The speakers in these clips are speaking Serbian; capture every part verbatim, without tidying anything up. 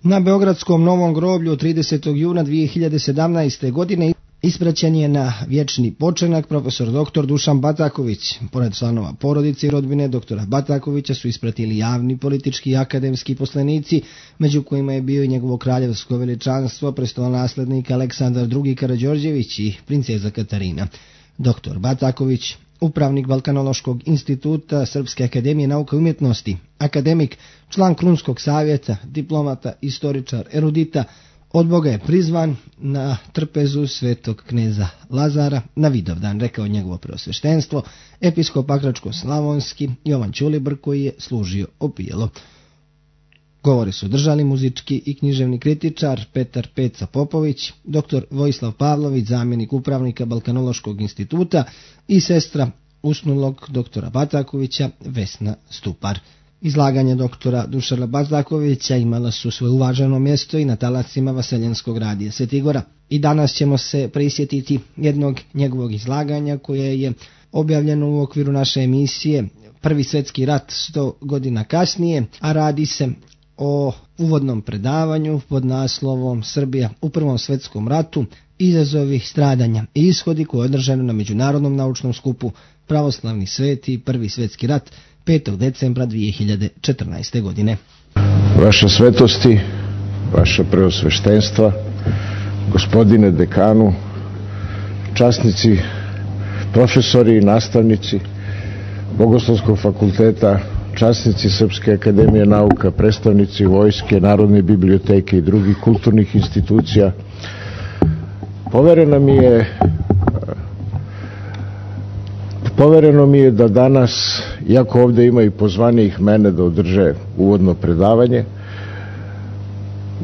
Na Beogradskom Novom groblju tridesetog juna dvije hiljade sedamnaeste. godine ispraćen je na vječni počenak profesor doktor Dušan Bataković. Pored članova porodice i rodbine doktora Batakovića su ispratili javni, politički i akademski poslanici, među kojima je bio i njegovo kraljevsko veličanstvo, prestolonaslednik Aleksandar drugi. Karađorđević i princeza Katarina. Doktor Bataković, upravnik Balkanološkog instituta Srpske akademije nauka i umjetnosti, akademik, član Krunskog savjeta, diplomata, istoričar, erudita, od Boga je prizvan na trpezu svetog kneza Lazara na Vidovdan, rekao njegovo preosveštenstvo, episkop Pakračko-slavonski Jovan Ćulibr, koji je služio opijelo. Govore su držali muzički i književni kritičar Petar Peca Popović, doktor Vojislav Pavlović, zamjenik upravnika Balkanološkog instituta, i sestra usnulog doktora Batakovića Vesna Stupar. Izlaganja doktora Dušana Batakovića imala su svoje uvaženo mjesto i na talasima Vaseljenskog radija Svetigora. I danas ćemo se prisjetiti jednog njegovog izlaganja koje je objavljeno u okviru naše emisije Prvi svjetski rat sto godina kasnije, a radi se o uvodnom predavanju pod naslovom Srbija u Prvom svjetskom ratu, izazovi, stradanja i ishodi, koje je održano na Međunarodnom naučnom skupu Pravoslavni sveti Prvi svjetski rat petog decembra dvije hiljade četrnaeste. godine. Vaša svetosti, vaša preosveštenstva, gospodine dekanu, časnici, profesori i nastavnici Bogoslovskog fakulteta, časnici Srpske akademije nauka, predstavnici vojske, Narodne biblioteke i drugih kulturnih institucija, povereno mi je Povereno mi je da danas, iako ovdje ima i pozvanijih mene da održe uvodno predavanje,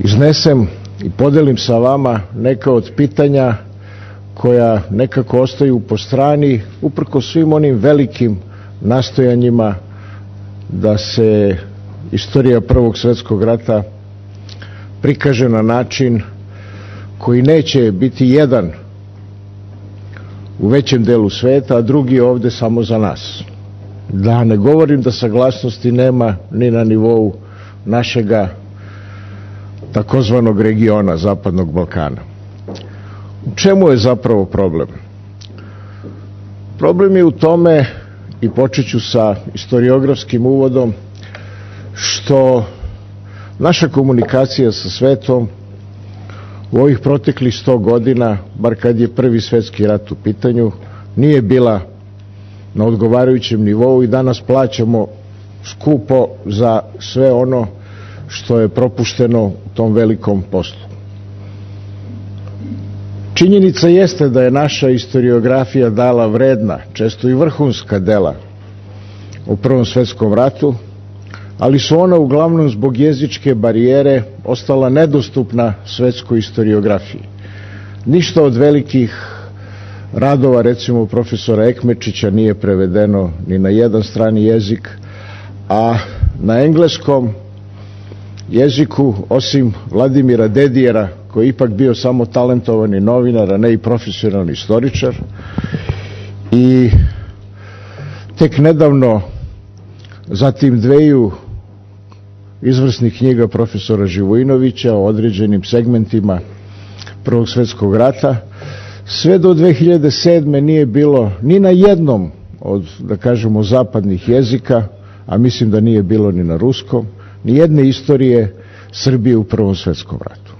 iznesem i podelim sa vama neka od pitanja koja nekako ostaju po strani uprkos svim onim velikim nastojanjima da se istorija Prvog svjetskog rata prikaže na način koji neće biti jedan u većem delu sveta, a drugi ovdje samo za nas. Da ne govorim da saglasnosti nema ni na nivou našega takozvanog regiona Zapadnog Balkana. U čemu je zapravo problem? Problem je u tome, i počet ću sa historiografskim uvodom, što naša komunikacija sa svetom u ovih proteklih sto godina, bar kad je Prvi svjetski rat u pitanju, nije bila na odgovarajućem nivou i danas plaćamo skupo za sve ono što je propušteno u tom velikom poslu. Činjenica jeste da je naša historiografija dala vredna, često i vrhunska dela u Prvom svjetskom ratu, ali su ona uglavnom zbog jezičke barijere ostala nedostupna svetskoj historiografiji. Ništa od velikih radova, recimo profesora Ekmečića, nije prevedeno ni na jedan strani jezik, a na engleskom jeziku, osim Vladimira Dedijera, koji je ipak bio samo talentovani novinar, a ne i profesionalni istoričar, i tek nedavno zatim dveju izvrsnih knjiga profesora Živojinovića o određenim segmentima Prvog svjetskog rata, sve do dve hiljade sedme. nije bilo ni na jednom od, da kažemo, zapadnih jezika, a mislim da nije bilo ni na ruskom, ni jedne istorije Srbije u Prvom svjetskom ratu.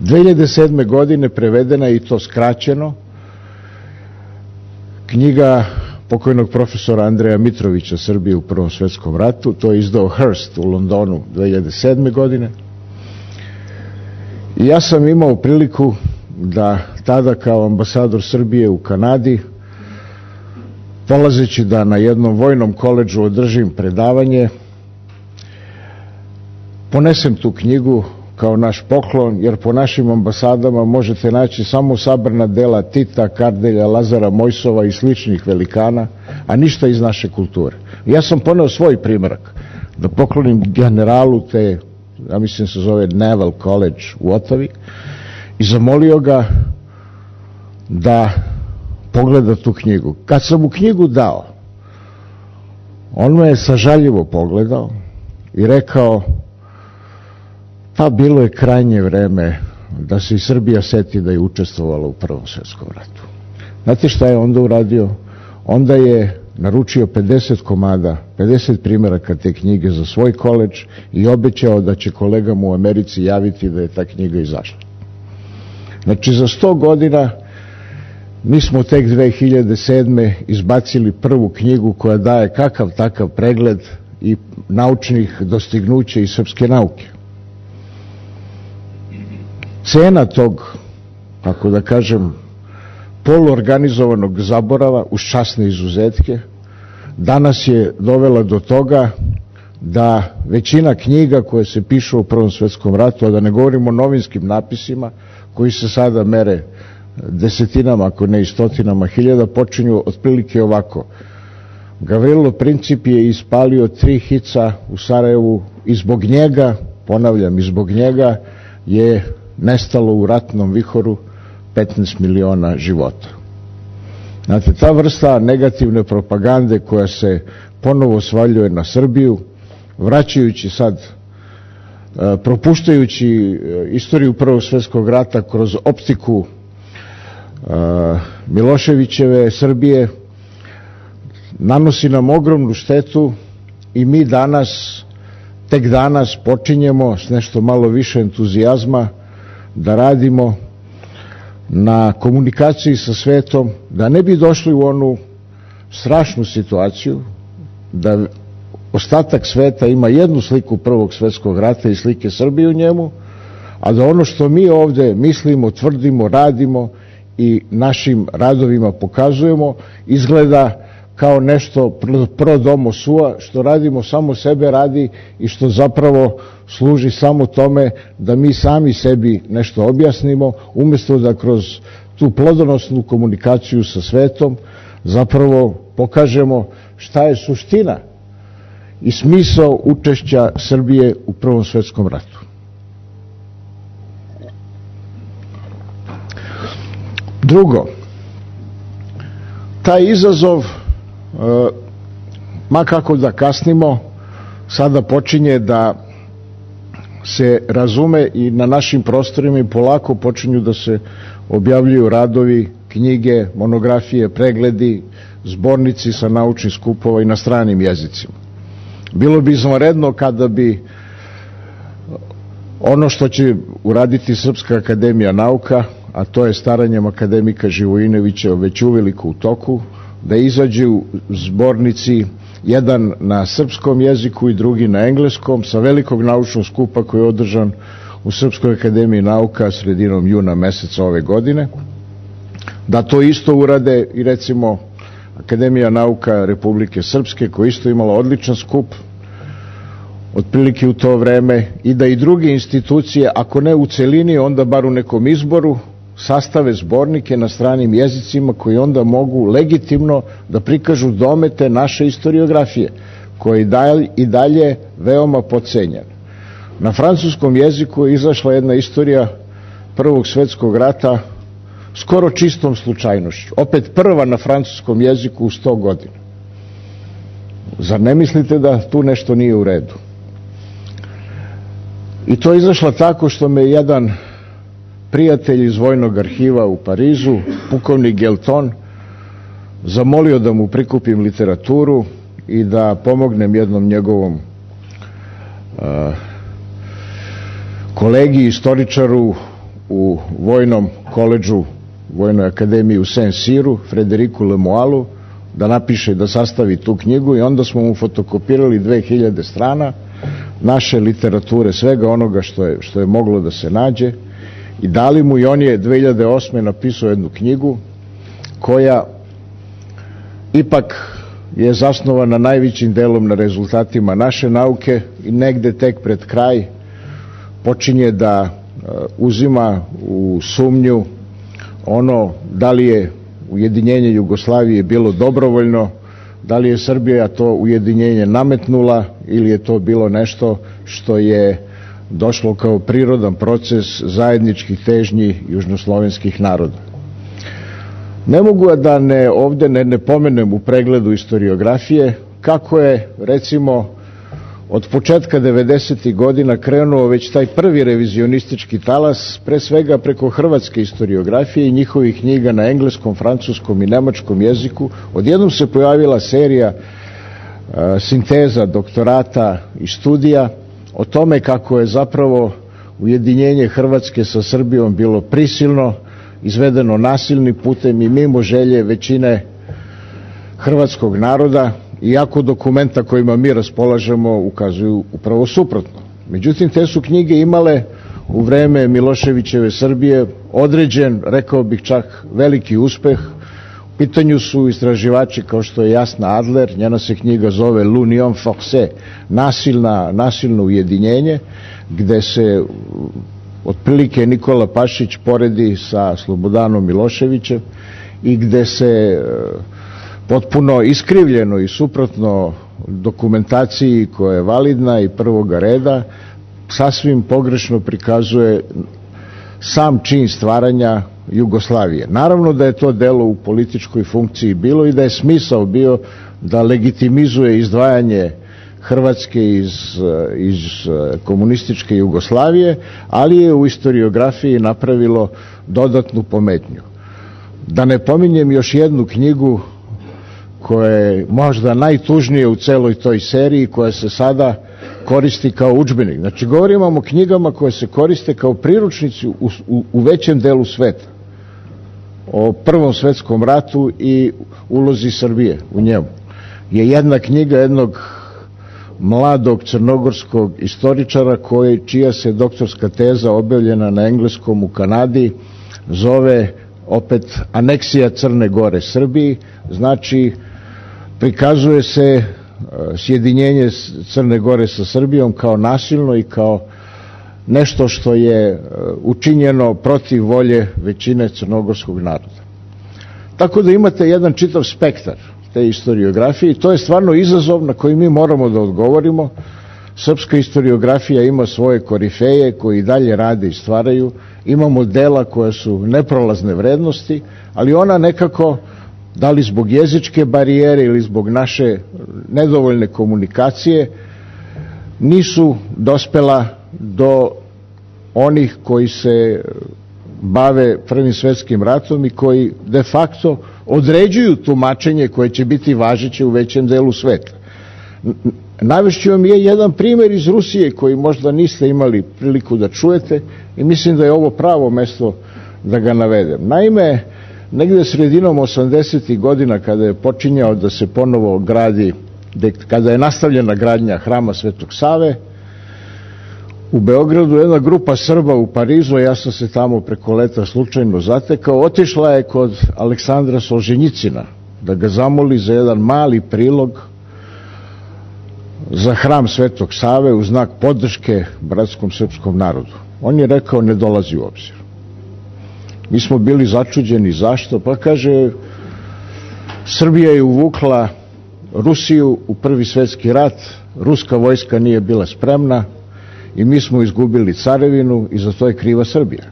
dve hiljade sedme. godine prevedena je, i to skraćeno, knjiga pokojnog profesora Andreja Mitrovića Srbije u Prvom svjetskom ratu. To je izdao Hearst u Londonu dve hiljade sedme. godine. I ja sam imao priliku da tada kao ambasador Srbije u Kanadi, polazeći da na jednom vojnom koledžu održim predavanje, ponesem tu knjigu kao naš poklon, jer po našim ambasadama možete naći samo sabrana dela Tita, Kardelja, Lazara Mojsova i sličnih velikana, a ništa iz naše kulture. Ja sam poneo svoj primjerak da poklonim generalu te, ja mislim se zove Naval College u Otavi, i zamolio ga da pogleda tu knjigu. Kad sam mu knjigu dao, on me je sažaljivo pogledao i rekao: Pa bilo je krajnje vreme da se i Srbija seti da je učestvovala u Prvom svetskom ratu. Znate šta je onda uradio? Onda je naručio pedeset komada, pedeset primjeraka te knjige za svoj koledž i obećao da će kolegama u Americi javiti da je ta knjiga izašla. Znači za sto godina mi smo tek dve hiljade sedme izbacili prvu knjigu koja daje kakav takav pregled i naučnih dostignuća iz srpske nauke. Cena tog, kako da kažem, poluorganizovanog zaborava uz časne izuzetke danas je dovela do toga da većina knjiga koje se pišu u Prvom svetskom ratu, a da ne govorimo o novinskim napisima koji se sada mere desetinama, ako ne i stotinama hiljada, počinju otprilike ovako. Gavrilo Princip je ispalio tri hica u Sarajevu i zbog njega, ponavljam, i zbog njega je nestalo u ratnom vihoru petnaest miliona života. Znate, ta vrsta negativne propagande koja se ponovo svaljuje na Srbiju, vraćajući sad, propuštajući istoriju Prvog svjetskog rata kroz optiku Miloševićeve Srbije, nanosi nam ogromnu štetu i mi danas, tek danas počinjemo s nešto malo više entuzijazma da radimo na komunikaciji sa svetom, da ne bi došli u onu strašnu situaciju da ostatak sveta ima jednu sliku Prvog svjetskog rata i slike Srbije u njemu, a da ono što mi ovde mislimo, tvrdimo, radimo i našim radovima pokazujemo izgleda kao nešto pro domo sua, što radimo samo sebe radi i što zapravo služi samo tome da mi sami sebi nešto objasnimo, umjesto da kroz tu plodonosnu komunikaciju sa svetom zapravo pokažemo šta je suština i smisao učešća Srbije u Prvom svjetskom ratu. Drugo, taj izazov, ma kako da kasnimo, sada počinje da se razume i na našim prostorima i polako počinju da se objavljuju radovi, knjige, monografije, pregledi, zbornici sa naučnih skupova i na stranim jezicima. Bilo bi izvanredno kada bi ono što će uraditi Srpska akademija nauka, a to je staranjem akademika Živojinovića već uveliko u toku, da izađu zbornici, jedan na srpskom jeziku i drugi na engleskom, sa velikog naučnog skupa koji je održan u Srpskoj akademiji nauka sredinom juna meseca ove godine, da to isto urade i recimo Akademija nauka Republike Srpske, koja isto imala odličan skup otprilike u to vreme, i da i druge institucije, ako ne u celini, onda bar u nekom izboru, sastave zbornike na stranim jezicima koji onda mogu legitimno da prikažu domete naše historiografije, koja je i dalje veoma podcenjena. Na francuskom jeziku je izašla jedna istorija Prvog svjetskog rata skoro čistom slučajnošću. Opet prva na francuskom jeziku u sto godina. Zar ne mislite da tu nešto nije u redu? I to je izašla tako što me jedan prijatelj iz Vojnog arhiva u Parizu, pukovnik Gelton, zamolio da mu prikupim literaturu i da pomognem jednom njegovom uh, kolegi, istoričaru u Vojnom koledžu, Vojnoj akademiji u Saint-Cyru, Frederiku Lemoalu, da napiše, da sastavi tu knjigu, i onda smo mu fotokopirali dve hiljade strana naše literature, svega onoga što je, što je moglo da se nađe, i dali mu, i on je dve hiljade osme napisao jednu knjigu koja ipak je zasnovana najvećim delom na rezultatima naše nauke i negde tek pred kraj počinje da uzima u sumnju ono da li je ujedinjenje Jugoslavije bilo dobrovoljno, da li je Srbija to ujedinjenje nametnula ili je to bilo nešto što je došlo kao prirodan proces zajedničkih težnji južnoslovenskih naroda. Ne mogu da ne, ovde ne, ne pomenem u pregledu historiografije kako je recimo od početka devedesetih godina krenuo već taj prvi revizionistički talas, pre svega preko hrvatske istoriografije i njihovih knjiga na engleskom, francuskom i nemačkom jeziku. Odjednom se pojavila serija e, sinteza, doktorata i studija o tome kako je zapravo ujedinjenje Hrvatske sa Srbijom bilo prisilno, izvedeno nasilnim putem i mimo želje većine hrvatskog naroda, iako dokumenta kojima mi raspolažemo ukazuju upravo suprotno. Međutim, te su knjige imale u vreme Miloševićeve Srbije određen, rekao bih čak, veliki uspeh. U pitanju su istraživači kao što je Jasna Adler, njena se knjiga zove L'Union Forcée, nasilna, nasilno ujedinjenje, gde se otprilike Nikola Pašić poredi sa Slobodanom Miloševićem i gde se potpuno iskrivljeno i suprotno dokumentaciji koja je validna i prvoga reda sasvim pogrešno prikazuje sam čin stvaranja Jugoslavije. Naravno da je to delo u političkoj funkciji bilo i da je smisao bio da legitimizuje izdvajanje Hrvatske iz, iz komunističke Jugoslavije, ali je u istoriografiji napravilo dodatnu pometnju. Da ne pominjem još jednu knjigu koja je možda najtužnije u celoj toj seriji, koja se sada koristi kao udžbenik. Znači, govorimo o knjigama koje se koriste kao priručnici u, u, u većem delu sveta. O Prvom svetskom ratu i ulozi Srbije u njemu. Je jedna knjiga jednog mladog crnogorskog istoričara koji, čija se doktorska teza objavljena na engleskom u Kanadi zove opet Aneksija Crne Gore Srbiji, znači prikazuje se sjedinjenje Crne Gore sa Srbijom kao nasilno i kao nešto što je učinjeno protiv volje većine crnogorskog naroda. Tako da imate jedan čitav spektar te istoriografije i to je stvarno izazov na koji mi moramo da odgovorimo. Srpska istoriografija ima svoje korifeje koji dalje rade i stvaraju, imamo dela koja su neprolazne vrednosti, ali ona nekako, da li zbog jezičke barijere ili zbog naše nedovoljne komunikacije, nisu dospela do onih koji se bave Prvim svetskim ratom i koji de facto određuju tumačenje koje će biti važeće u većem delu sveta. Navešću vam je jedan primer iz Rusije koji možda niste imali priliku da čujete i mislim da je ovo pravo mesto da ga navedem. Naime, negde sredinom osamdesetih godina kada je počinjao da se ponovo gradi, kada je nastavljena gradnja Hrama Svetog Save, u Beogradu jedna grupa Srba u Parizu, ja sam se tamo preko leta slučajno zatekao, otišla je kod Aleksandra Solženjicina da ga zamoli za jedan mali prilog za Hram Svetog Save u znak podrške bratskom srpskom narodu. On je rekao ne dolazi u obzir. Mi smo bili začuđeni zašto, pa kaže Srbija je uvukla Rusiju u Prvi svetski rat, ruska vojska nije bila spremna i mi smo izgubili carevinu i za to je kriva Srbija.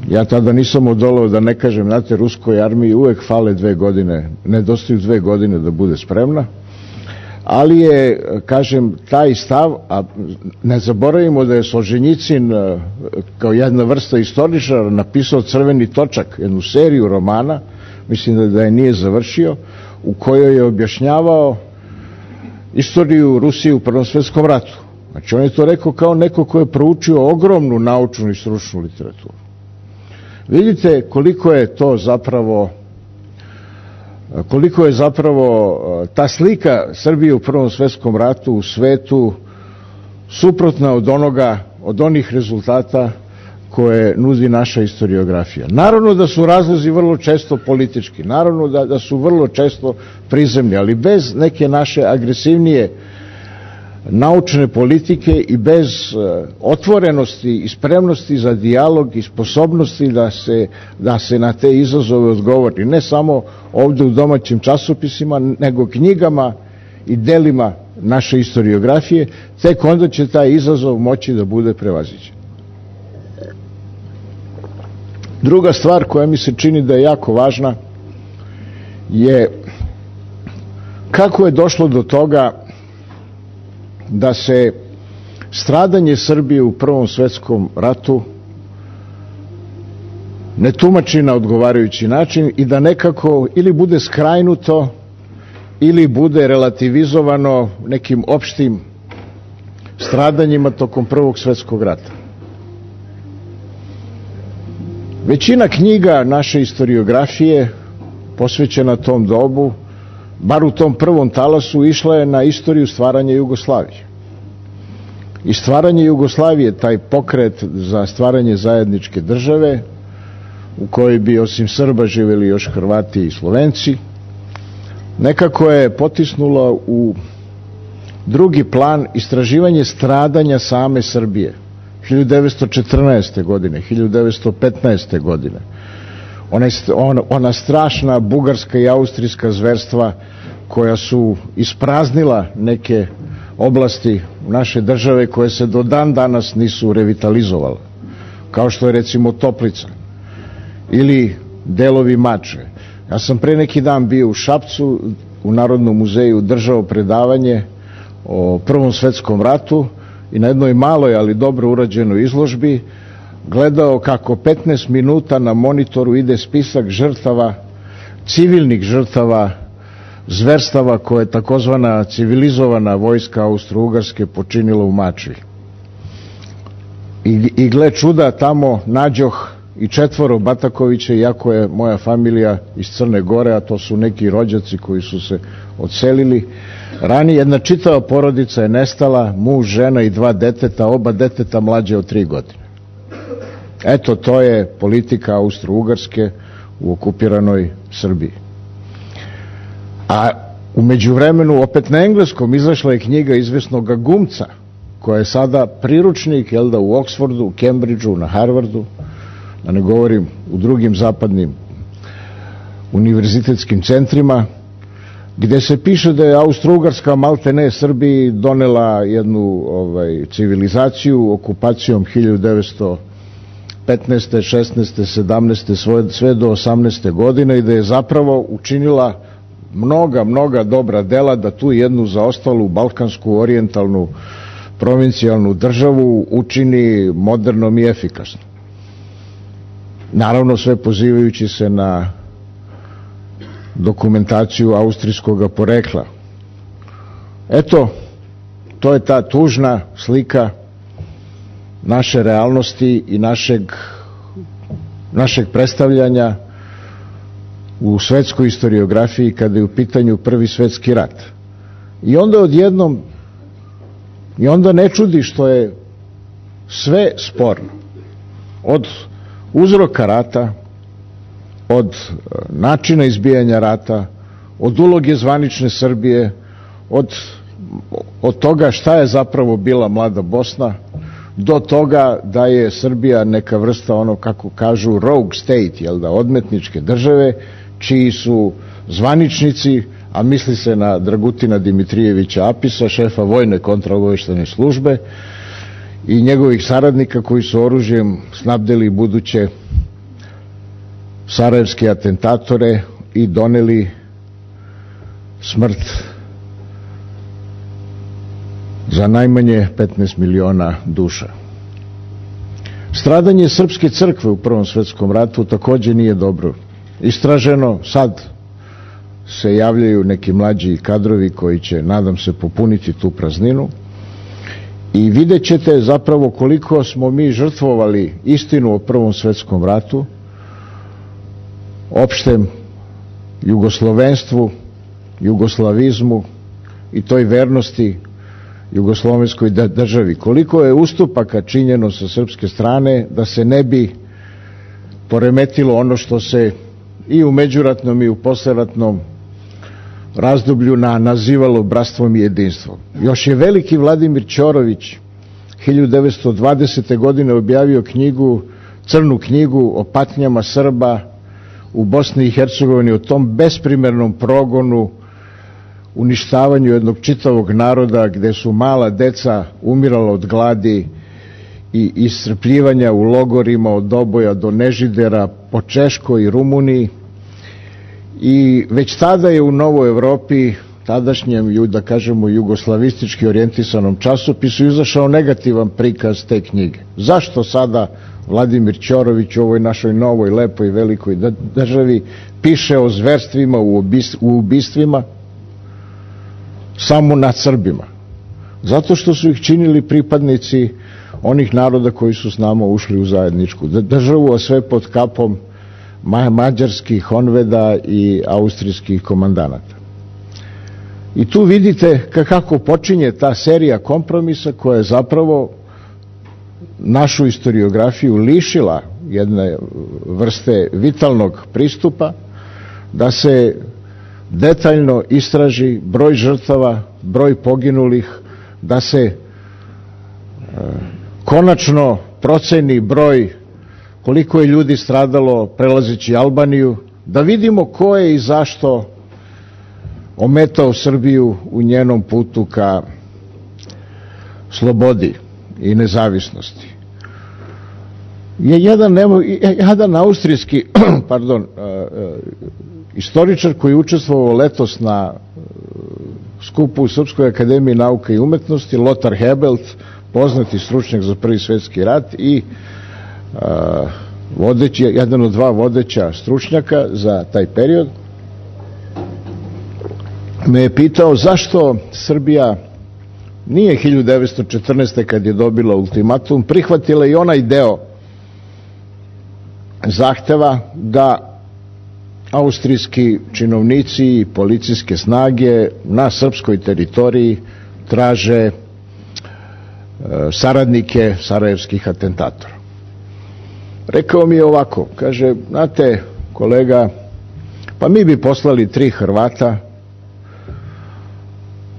Ja tada nisam odolao da ne kažem, znate, ruskoj armiji uvek fale dve godine, nedostaju dve godine da bude spremna, ali je, kažem, taj stav, a ne zaboravimo da je Solženjicin kao jedna vrsta istoričara napisao Crveni točak, jednu seriju romana, mislim da, da je nije završio, u kojoj je objašnjavao istoriju Rusije u Prvom svetskom ratu. Znači, on je to rekao kao neko ko je proučio ogromnu naučnu i stručnu literaturu. Vidite koliko je to zapravo koliko je zapravo ta slika Srbije u Prvom svetskom ratu u svetu suprotna od onoga, od onih rezultata koje nudi naša istoriografija. Naravno da su razlozi vrlo često politički, naravno da, da su vrlo često prizemni, ali bez neke naše agresivnije naučne politike i bez uh, otvorenosti i spremnosti za dijalog i sposobnosti da se, da se na te izazove odgovori. Ne samo ovde u domaćim časopisima, nego knjigama i delima naše istoriografije, tek onda će taj izazov moći da bude prevaziđen. Druga stvar koja mi se čini da je jako važna je kako je došlo do toga da se stradanje Srbije u Prvom svetskom ratu ne tumači na odgovarajući način i da nekako ili bude skrajnuto ili bude relativizovano nekim opštim stradanjima tokom Prvog svjetskog rata. Većina knjiga naše historiografije posvećena tom dobu, bar u tom prvom talasu, išla je na istoriju stvaranja Jugoslavije. I stvaranje Jugoslavije, taj pokret za stvaranje zajedničke države, u kojoj bi osim Srba živjeli još Hrvati i Slovenci, nekako je potisnulo u drugi plan istraživanje stradanja same Srbije hiljadu devetsto četrnaeste. godine, hiljadu devetsto petnaeste. godine. Ona, ona strašna bugarska i austrijska zverstva koja su ispraznila neke oblasti naše države koje se do dan danas nisu revitalizovale, kao što je recimo Toplica ili delovi Mačve. Ja sam pre neki dan bio u Šapcu, u Narodnom muzeju držao predavanje o Prvom svetskom ratu i na jednoj maloj, ali dobro urađenoj izložbi gledao kako petnaest minuta na monitoru ide spisak žrtava, civilnih žrtava, zverstava koje je takozvana civilizovana vojska Austro-Ugarske počinila u Mačvi. I, i gle čuda, tamo nađoh i četvoro Batakovića, iako je moja familija iz Crne Gore, a to su neki rođaci koji su se odselili. Ranije jedna čitava porodica je nestala, muž, žena i dva deteta, oba deteta mlađe od tri godine. Eto, to je politika Austro-Ugarske u okupiranoj Srbiji. A u međuvremenu, opet na engleskom, izašla je knjiga izvesnoga Gumca, koja je sada priručnik, jel da, u Oksfordu, u Cambridgeu, na Harvardu, da ne govorim u drugim zapadnim univerzitetskim centrima, gde se piše da je Austro-Ugarska maltene Srbiji donela jednu ovaj, civilizaciju okupacijom hiljadu devetsto petnaeste, šesnaeste, sedamnaeste, sve do osamnaeste. godine i da je zapravo učinila mnoga, mnoga dobra dela da tu jednu zaostalu balkansku orijentalnu provincijalnu državu učini modernom i efikasnom. Naravno, sve pozivajući se na dokumentaciju austrijskog porekla. Eto, to je ta tužna slika naše realnosti i našeg, našeg predstavljanja u svetskoj historiografiji kada je u pitanju Prvi svetski rat. I onda odjednom, i onda ne čudi što je sve sporno. Od uzroka rata, od načina izbijanja rata, od uloge zvanične Srbije, od, od toga šta je zapravo bila mlada Bosna, do toga da je Srbija neka vrsta, ono kako kažu, rogue state, jel da, odmetničke države, čiji su zvaničnici, a misli se na Dragutina Dimitrijevića Apisa, šefa vojne kontraobaveštajne službe, i njegovih saradnika koji su oružjem snabdeli buduće sarajevske atentatore i doneli smrt za najmanje petnaest miliona duša. Stradanje srpske crkve u Prvom svetskom ratu takođe nije dobro istraženo. Sad se javljaju neki mlađi kadrovi koji će, nadam se, popuniti tu prazninu i vidjet ćete zapravo koliko smo mi žrtvovali istinu o Prvom svetskom ratu, opštem jugoslovenstvu, jugoslavizmu i toj vernosti jugoslovenskoj državi. Koliko je ustupaka činjeno sa srpske strane da se ne bi poremetilo ono što se i u međuratnom i u posleratnom razdoblju na, nazivalo bratstvom i jedinstvom. Još je veliki Vladimir Ćorović hiljadu devetsto dvadesete. godine objavio knjigu, crnu knjigu o patnjama Srba u Bosni i Hercegovini, o tom besprimernom progonu, uništavanju jednog čitavog naroda gde su mala deca umirala od gladi i iscrpljivanja u logorima od Doboja do Nežidera po Češkoj i Rumuniji. I već tada je u Novoj Evropi tadašnjem, da kažemo, jugoslavistički orijentisanom časopisu izašao negativan prikaz te knjige. Zašto sada Vladimir Ćorović u ovoj našoj novoj, lepoj, velikoj državi piše o zverstvima, u ubistvima samo nad Srbima? Zato što su ih činili pripadnici onih naroda koji su s nama ušli u zajedničku državu, a sve pod kapom mađarskih honveda i austrijskih komandanata. I tu vidite kako počinje ta serija kompromisa koja je zapravo našu historiografiju lišila jedne vrste vitalnog pristupa, da se detaljno istraži broj žrtava, broj poginulih, da se e, konačno proceni broj koliko je ljudi stradalo prelazeći Albaniju, da vidimo ko je i zašto ometao Srbiju u njenom putu ka slobodi i nezavisnosti. Je jedan, jedan austrijski pardon, istoričar koji je učestvovao letos na skupu u Srpskoj akademiji nauke i umetnosti, Lothar Hebelt, poznati stručnjak za Prvi svjetski rat i vodeći, jedan od dva vodeća stručnjaka za taj period, me je pitao zašto Srbija nije hiljadu devetsto četrnaeste. kad je dobila ultimatum prihvatila i onaj deo zahteva da austrijski činovnici i policijske snage na srpskoj teritoriji traže saradnike sarajevskih atentatora. Rekao mi je ovako, kaže, znate kolega, pa mi bi poslali tri Hrvata,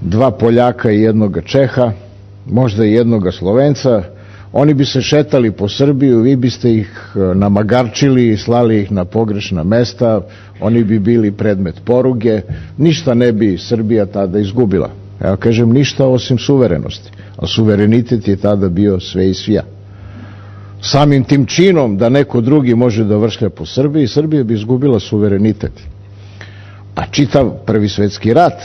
dva Poljaka i jednoga Čeha, možda i jednoga Slovenca, oni bi se šetali po Srbiju, vi biste ih namagarčili i slali ih na pogrešna mesta, oni bi bili predmet poruge, ništa ne bi Srbija tada izgubila. Ja kažem, ništa osim suverenosti, a suverenitet je tada bio sve i svija. Samim tim činom da neko drugi može da vršlja po Srbiji, Srbija bi izgubila suverenitet. A čitav Prvi svjetski rat,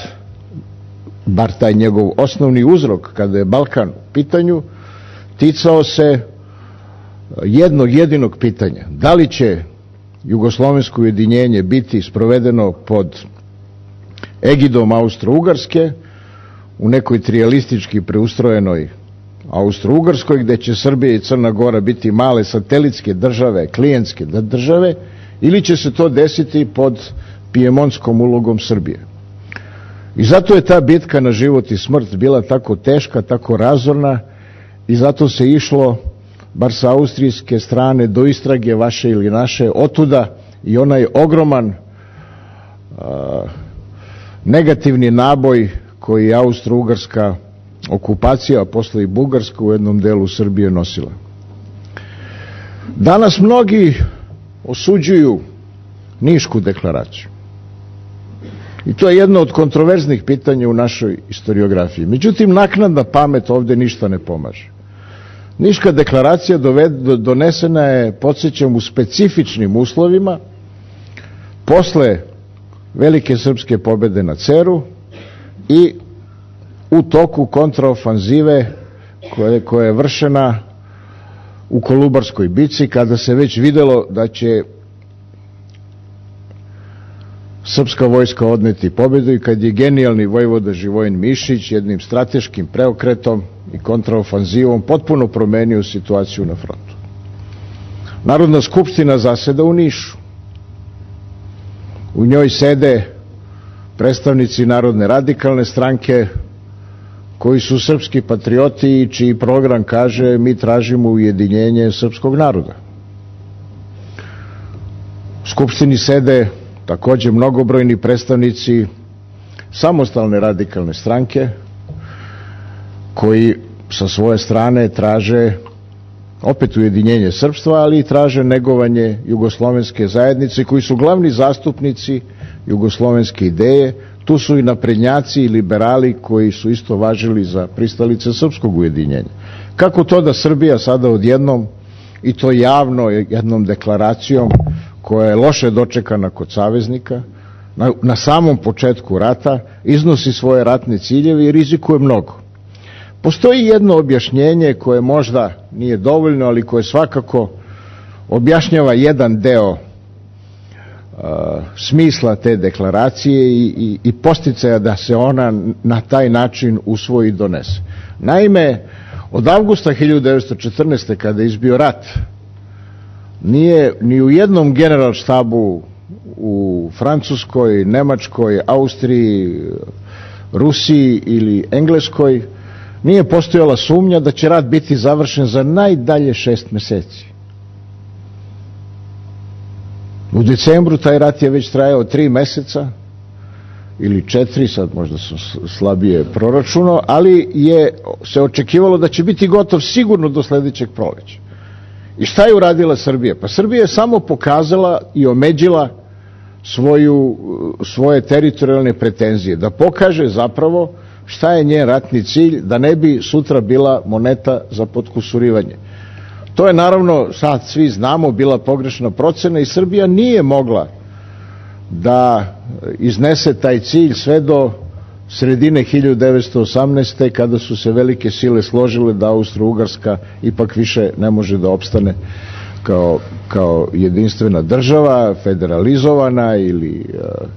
bar taj njegov osnovni uzrok kada je Balkan u pitanju, ticao se jednog jedinog pitanja. Da li će jugoslovensko ujedinjenje biti sprovedeno pod egidom Austro-Ugarske u nekoj trijalistički preustrojenoj Austro-Ugarskoj, gde će Srbija i Crna Gora biti male satelitske države, klijentske države, ili će se to desiti pod pijemonskom ulogom Srbije. I zato je ta bitka na život i smrt bila tako teška, tako razorna, i zato se išlo, bar sa austrijske strane, do istrage vaše ili naše, otuda i onaj ogroman a, negativni naboj koji je Austro-Ugarska okupacija, a posle i Bugarska u jednom delu Srbije nosila. Danas mnogi osuđuju Nišku deklaraciju. I to je jedno od kontroverznih pitanja u našoj historiografiji. Međutim, naknadna pamet ovde ništa ne pomaže. Niška deklaracija donesena je, podsjećam, u specifičnim uslovima, posle velike srpske pobede na Ceru i u toku kontraofanzive koja, koja je vršena u Kolubarskoj bici, kada se već videlo da će srpska vojska odneti pobedu i kad je genijalni vojvoda Živojin Mišić jednim strateškim preokretom i kontraofanzivom potpuno promenio situaciju na frontu. Narodna skupština zaseda u Nišu. U njoj sede predstavnici Narodne radikalne stranke koji su srpski patrioti i čiji program kaže mi tražimo ujedinjenje srpskog naroda. U skupštini sede takođe mnogobrojni predstavnici samostalne radikalne stranke koji sa svoje strane traže opet ujedinjenje srpstva, ali i traže negovanje jugoslovenske zajednice, koji su glavni zastupnici jugoslovenske ideje. Tu su i naprednjaci i liberali koji su isto važili za pristalice srpskog ujedinjenja. Kako to da Srbija sada odjednom, i to javno jednom deklaracijom koja je loše dočekana kod saveznika, na, na samom početku rata, iznosi svoje ratne ciljeve i rizikuje mnogo. Postoji jedno objašnjenje koje možda nije dovoljno, ali koje svakako objašnjava jedan deo uh, smisla te deklaracije i, i, i posticaja da se ona na taj način usvoji i donese. Naime, od avgusta hiljadu devetsto četrnaeste. kada je izbio rat, nije ni u jednom generalštabu u Francuskoj, Nemačkoj, Austriji, Rusiji ili Engleskoj nije postojala sumnja da će rat biti završen za najdalje šest meseci. U decembru taj rat je već trajao tri meseca ili četiri, sad možda sam slabije proračunao, ali je se očekivalo da će biti gotov sigurno do sledećeg proleća. I šta je uradila Srbija? Pa Srbija je samo pokazala i omeđila svoju, svoje teritorijalne pretenzije, da pokaže zapravo šta je njen ratni cilj, da ne bi sutra bila moneta za potkusurivanje. To je naravno, sad svi znamo, bila pogrešna procena i Srbija nije mogla da iznese taj cilj sve do sredine hiljadu devetsto osamnaeste. kada su se velike sile složile da Austro-Ugarska ipak više ne može da opstane kao, kao jedinstvena država, federalizovana ili uh,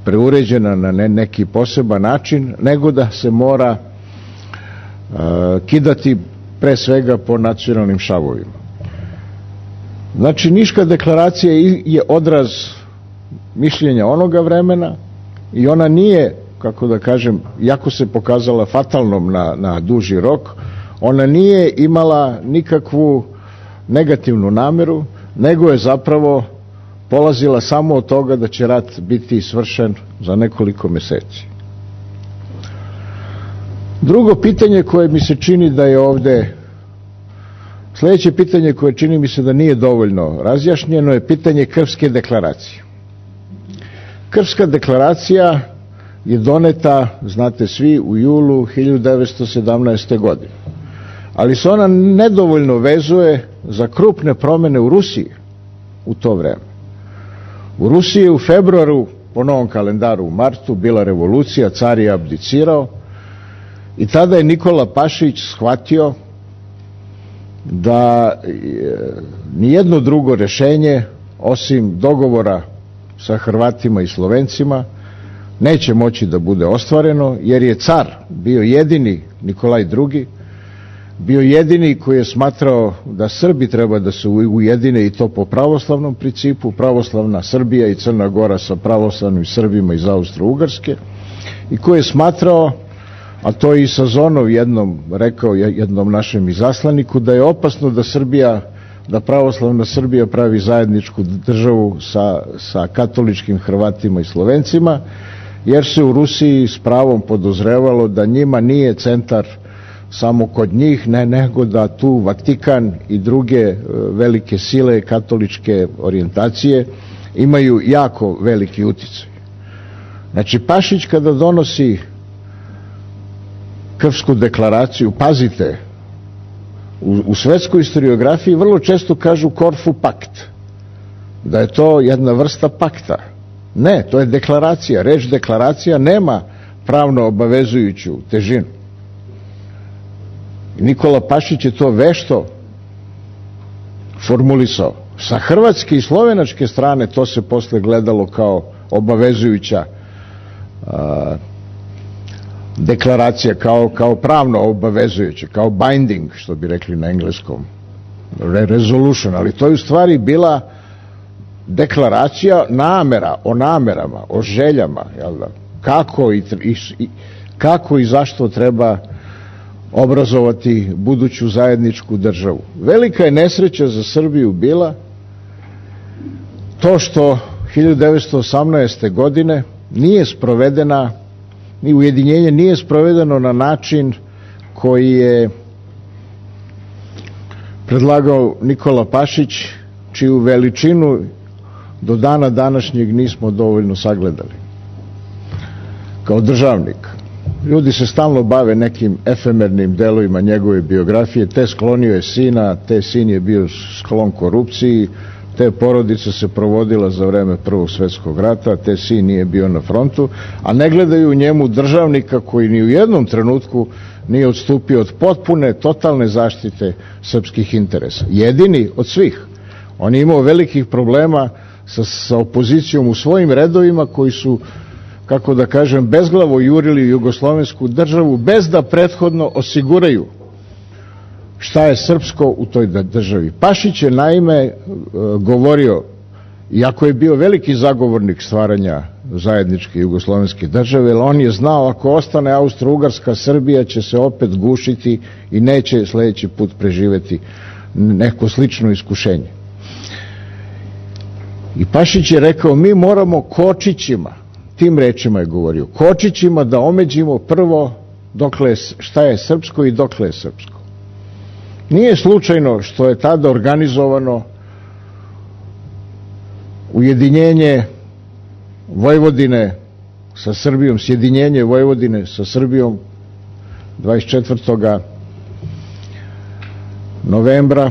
preuređena na ne, neki poseban način, nego da se mora uh, kidati pre svega po nacionalnim šavovima. Znači, Niška deklaracija je odraz mišljenja onoga vremena i ona nije, kako da kažem, jako se pokazala fatalnom na, na duži rok, ona nije imala nikakvu negativnu nameru, nego je zapravo polazila samo od toga da će rat biti svršen za nekoliko meseci. Drugo pitanje koje mi se čini da je ovde, sledeće pitanje koje čini mi se da nije dovoljno razjašnjeno je pitanje Krfske deklaracije. Krfska deklaracija je doneta, znate svi, u julu hiljadu devetsto sedamnaeste. godine. Ali se ona nedovoljno vezuje za krupne promene u Rusiji u to vreme. U Rusiji je u februaru, po novom kalendaru u martu, bila revolucija, car je abdicirao i tada je Nikola Pašić shvatio da nijedno drugo rešenje, osim dogovora sa Hrvatima i Slovencima, neće moći da bude ostvareno, jer je car bio jedini, Nikolaj drugi, bio jedini koji je smatrao da Srbi treba da se ujedine i to po pravoslavnom principu, pravoslavna Srbija i Crna Gora sa pravoslavnim Srbima iz Austro-Ugarske, i koji je smatrao, a to je i Sazonov jednom rekao jednom našem izaslaniku, da je opasno da Srbija, da pravoslavna Srbija pravi zajedničku državu sa, sa katoličkim Hrvatima i Slovencima, jer se u Rusiji s pravom podozrevalo da njima nije centar samo kod njih, ne, nego da tu Vatikan i druge velike sile katoličke orijentacije imaju jako veliki uticaj. Znači, Pašić kada donosi Krfsku deklaraciju, pazite, u, u svetskoj historiografiji vrlo često kažu Korfu pakt, da je to jedna vrsta pakta. Ne, to je deklaracija. Reč deklaracija nema pravno obavezujuću težinu. Nikola Pašić je to vešto formulisao. Sa hrvatske i slovenačke strane to se posle gledalo kao obavezujuća a, deklaracija, kao, kao pravno obavezujuća, kao binding, što bi rekli na engleskom, resolution, ali to je u stvari bila deklaracija namera, o namerama, o željama, jel da? Kako i, i, kako i zašto treba obrazovati buduću zajedničku državu. Velika je nesreća za Srbiju bila to što hiljadu devetsto osamnaeste. godine nije sprovedena, ni ujedinjenje nije sprovedeno na način koji je predlagao Nikola Pašić, čiju veličinu do dana današnjeg nismo dovoljno sagledali kao državnik. Ljudi se stalno bave nekim efemernim delovima njegove biografije, te sklonio je sina, te sin je bio sklon korupciji, te porodice se provodila za vreme Prvog svjetskog rata, te sin nije bio na frontu, a ne gledaju u njemu državnika koji ni u jednom trenutku nije odstupio od potpune, totalne zaštite srpskih interesa. Jedini od svih. On je imao velikih problema sa, sa opozicijom u svojim redovima koji su, kako da kažem, bezglavo jurili jugoslovensku državu bez da prethodno osiguraju šta je srpsko u toj državi. Pašić je naime govorio, iako je bio veliki zagovornik stvaranja zajedničke jugoslovenske države, jer on je znao ako ostane Austro-Ugarska, Srbija će se opet gušiti i neće sljedeći put preživeti neko slično iskušenje. I Pašić je rekao, mi moramo kočićima, tim rečima je govorio, kočićima da omeđimo prvo dokle, šta je srpsko i dokle je srpsko. Nije slučajno što je tada organizovano ujedinjenje Vojvodine sa Srbijom, sjedinjenje Vojvodine sa Srbijom dvadeset četvrtog novembra,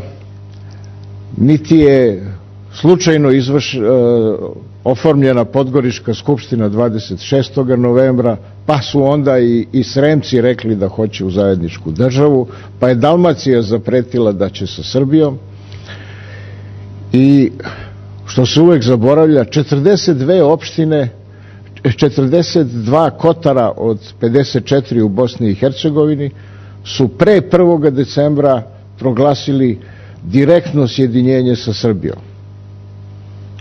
niti je slučajno izvrš, uh, oformljena Podgorička skupština dvadeset šestog novembra, pa su onda i, i Sremci rekli da hoće u zajedničku državu, pa je Dalmacija zapretila da će sa Srbijom i što se uvek zaboravlja, četrdeset dve opštine, četrdeset dva kotara od pedeset četiri u Bosni i Hercegovini su pre prvog decembra proglasili direktno sjedinjenje sa Srbijom.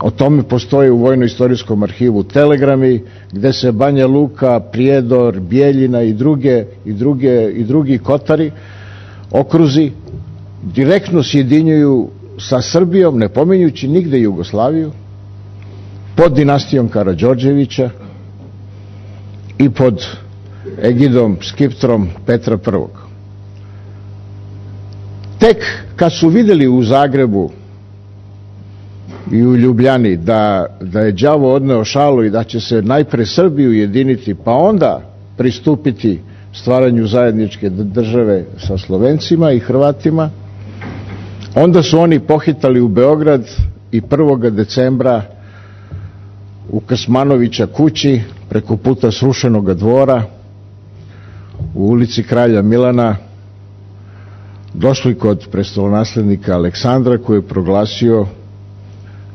O tome postoje u Vojno-istorijskom arhivu telegrami gde se Banja Luka, Prijedor, Bijeljina i druge i druge i drugi kotari, okruzi direktno sjedinjuju sa Srbijom, ne pominjući nigde Jugoslaviju, pod dinastijom Karađorđevića i pod egidom, skiptrom Petra Prvog. Tek kad su vidjeli u Zagrebu i u Ljubljani da, da je đavo odneo šalu i da će se najpre Srbiju ujediniti, pa onda pristupiti stvaranju zajedničke države sa Slovencima i Hrvatima, onda su oni pohitali u Beograd i prvog decembra u Kasmanovića kući preko puta srušenog dvora u ulici Kralja Milana došli kod prestolonaslednika Aleksandra koji je proglasio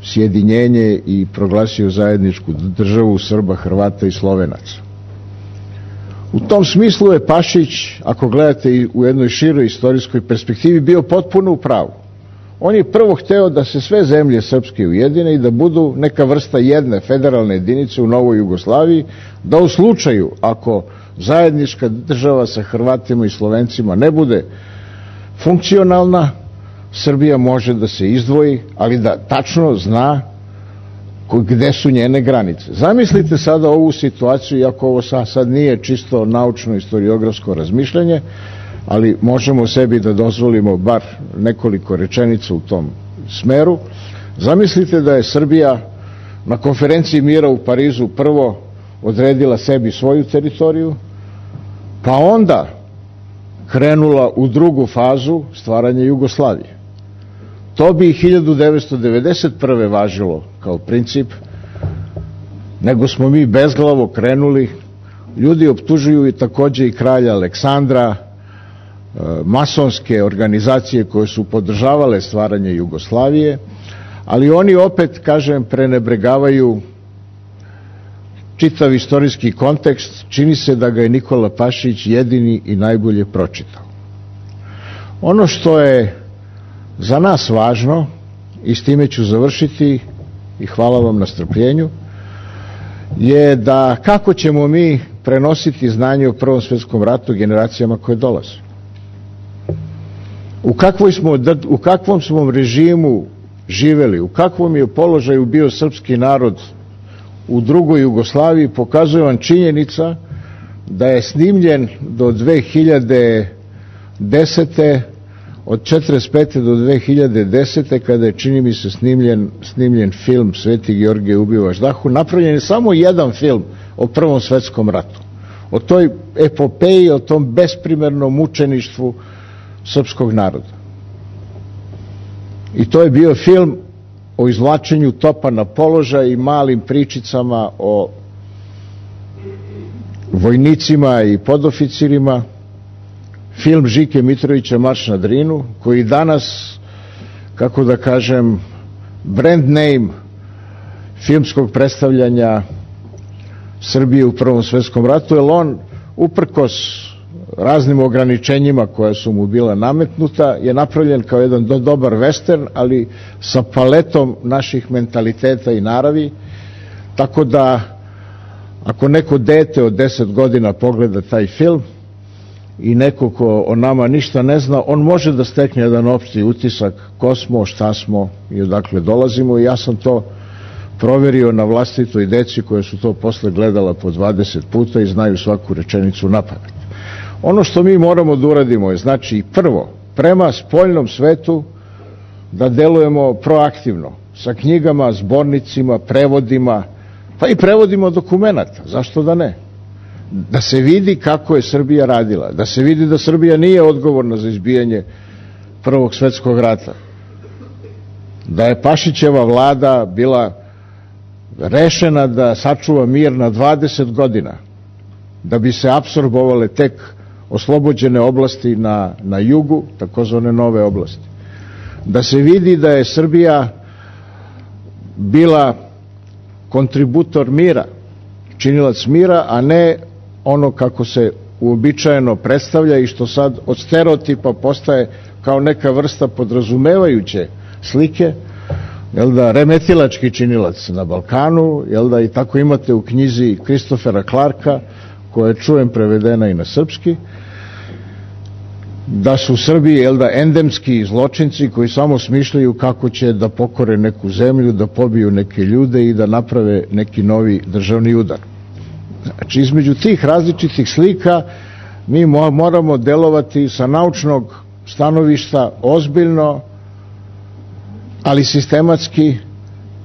sjedinjenje i proglasio zajedničku državu Srba, Hrvata i Slovenaca. U tom smislu je Pašić, ako gledate i u jednoj široj istorijskoj perspektivi, bio potpuno u pravu. On je prvo hteo da se sve zemlje srpske ujedine i da budu neka vrsta jedne federalne jedinice u Novoj Jugoslaviji, da u slučaju ako zajednička država sa Hrvatima i Slovencima ne bude funkcionalna, Srbija može da se izdvoji, ali da tačno zna gde su njene granice. Zamislite sada ovu situaciju, iako ovo sad nije čisto naučno-istoriografsko razmišljanje, ali možemo sebi da dozvolimo bar nekoliko rečenica u tom smeru. Zamislite da je Srbija na konferenciji mira u Parizu prvo odredila sebi svoju teritoriju, pa onda krenula u drugu fazu stvaranja Jugoslavije. To bi hiljadu devetsto devedeset prve važilo kao princip, nego smo mi bezglavo krenuli. Ljudi optužuju i takođe i kralja Aleksandra, masonske organizacije koje su podržavale stvaranje Jugoslavije, ali oni opet, kažem, prenebregavaju čitav istorijski kontekst. Čini se da ga je Nikola Pašić jedini i najbolje pročitao. Ono što je za nas važno, i s time ću završiti i hvala vam na strpljenju, je da kako ćemo mi prenositi znanje o Prvom svjetskom ratu generacijama koje dolaze. U, kakvoj smo, u kakvom smo režimu živeli, u kakvom je položaju bio srpski narod u drugoj Jugoslaviji, pokazuje vam činjenica da je snimljen do dve hiljade desete. Od četrdeset pete do dve hiljade desete. kada je, čini mi se, snimljen, snimljen film Sveti Georgije ubio Važdahu, napravljen je samo jedan film o Prvom svetskom ratu. O toj epopeji, o tom besprimernom mučeništvu srpskog naroda. I to je bio film o izvlačenju topa na položaj i malim pričicama o vojnicima i podoficirima, film Žike Mitrovića Marš na Drinu, koji danas, kako da kažem, brand name filmskog predstavljanja Srbije u Prvom svetskom ratu, jer on, uprkos raznim ograničenjima koja su mu bila nametnuta, je napravljen kao jedan do, dobar western, ali sa paletom naših mentaliteta i naravi, tako da ako neko dete od deset godina pogleda taj film i neko ko o nama ništa ne zna, on može da stekne jedan opšti utisak ko smo, šta smo i odakle dolazimo, i ja sam to proverio na vlastitoj deci koje su to posle gledala po dvadeset puta i znaju svaku rečenicu napamet. Ono što mi moramo da uradimo je, znači, prvo, prema spoljnom svetu da delujemo proaktivno, sa knjigama, zbornicima, prevodima, pa i prevodima dokumenata, zašto da ne? Da se vidi kako je Srbija radila, da se vidi da Srbija nije odgovorna za izbijanje Prvog svetskog rata, da je Pašićeva vlada bila rešena da sačuva mir na dvadeset godina, da bi se apsorbovale tek oslobođene oblasti na, na jugu, takozvane nove oblasti. Da se vidi da je Srbija bila kontributor mira, činilac mira, a ne ono kako se uobičajeno predstavlja i što sad od stereotipa postaje kao neka vrsta podrazumevajuće slike, jel da, remetilački činilac na Balkanu, jel da, i tako imate u knjizi Kristofera Clarka, koja je, čujem, prevedena i na srpski, da su u Srbiji, jel da, endemski zločinci koji samo smišljaju kako će da pokore neku zemlju, da pobiju neke ljude i da naprave neki novi državni udar. Znači, između tih različitih slika mi moramo delovati sa naučnog stanovišta ozbiljno, ali sistematski,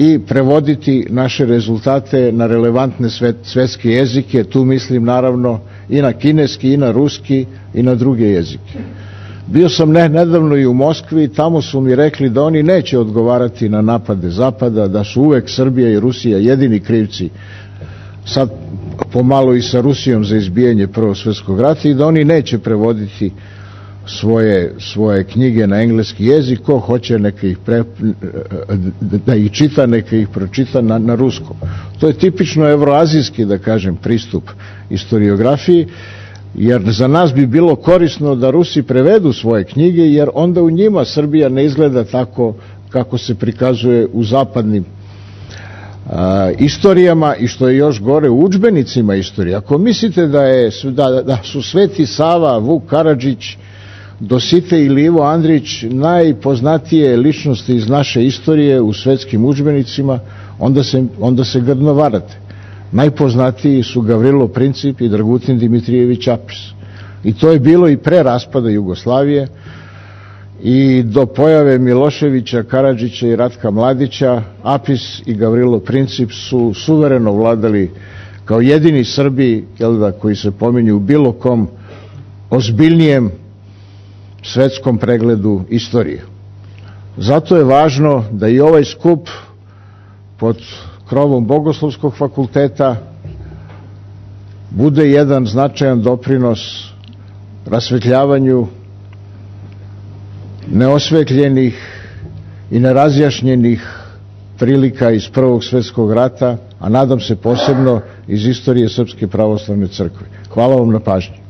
i prevoditi naše rezultate na relevantne svet, svetske jezike. Tu mislim naravno i na kineski, i na ruski, i na druge jezike. Bio sam ne, nedavno i u Moskvi, tamo su mi rekli da oni neće odgovarati na napade Zapada, da su uvek Srbija i Rusija jedini krivci, sad pomalo i sa Rusijom, za izbijanje Prvog svetskog rata, i da oni neće prevoditi svoje, svoje knjige na engleski jezik. Ko hoće neka ih pre, da ih čita, neka ih pročita na, na ruskom. To je tipično evroazijski, da kažem, pristup istoriografiji, jer za nas bi bilo korisno da Rusi prevedu svoje knjige, jer onda u njima Srbija ne izgleda tako kako se prikazuje u zapadnim a, istorijama, i što je još gore, u udžbenicima istorije. Ako mislite da, je, da, da su Sveti Sava, Vuk Karadžić, Dositej ili Ivo Andrić najpoznatije ličnosti iz naše istorije u svetskim udžbenicima, onda se, onda se grdno varate. Najpoznatiji su Gavrilo Princip i Dragutin Dimitrijević Apis. I to je bilo i pre raspada Jugoslavije, i do pojave Miloševića, Karadžića i Ratka Mladića. Apis i Gavrilo Princip su suvereno vladali kao jedini Srbi, jel da, koji se pominju u bilo kom ozbiljnijem svetskom pregledu istorije. Zato je važno da i ovaj skup pod krovom Bogoslovskog fakulteta bude jedan značajan doprinos rasvetljavanju neosvetljenih i nerazjašnjenih prilika iz Prvog svetskog rata, a nadam se posebno iz istorije Srpske pravoslavne crkve. Hvala vam na pažnji.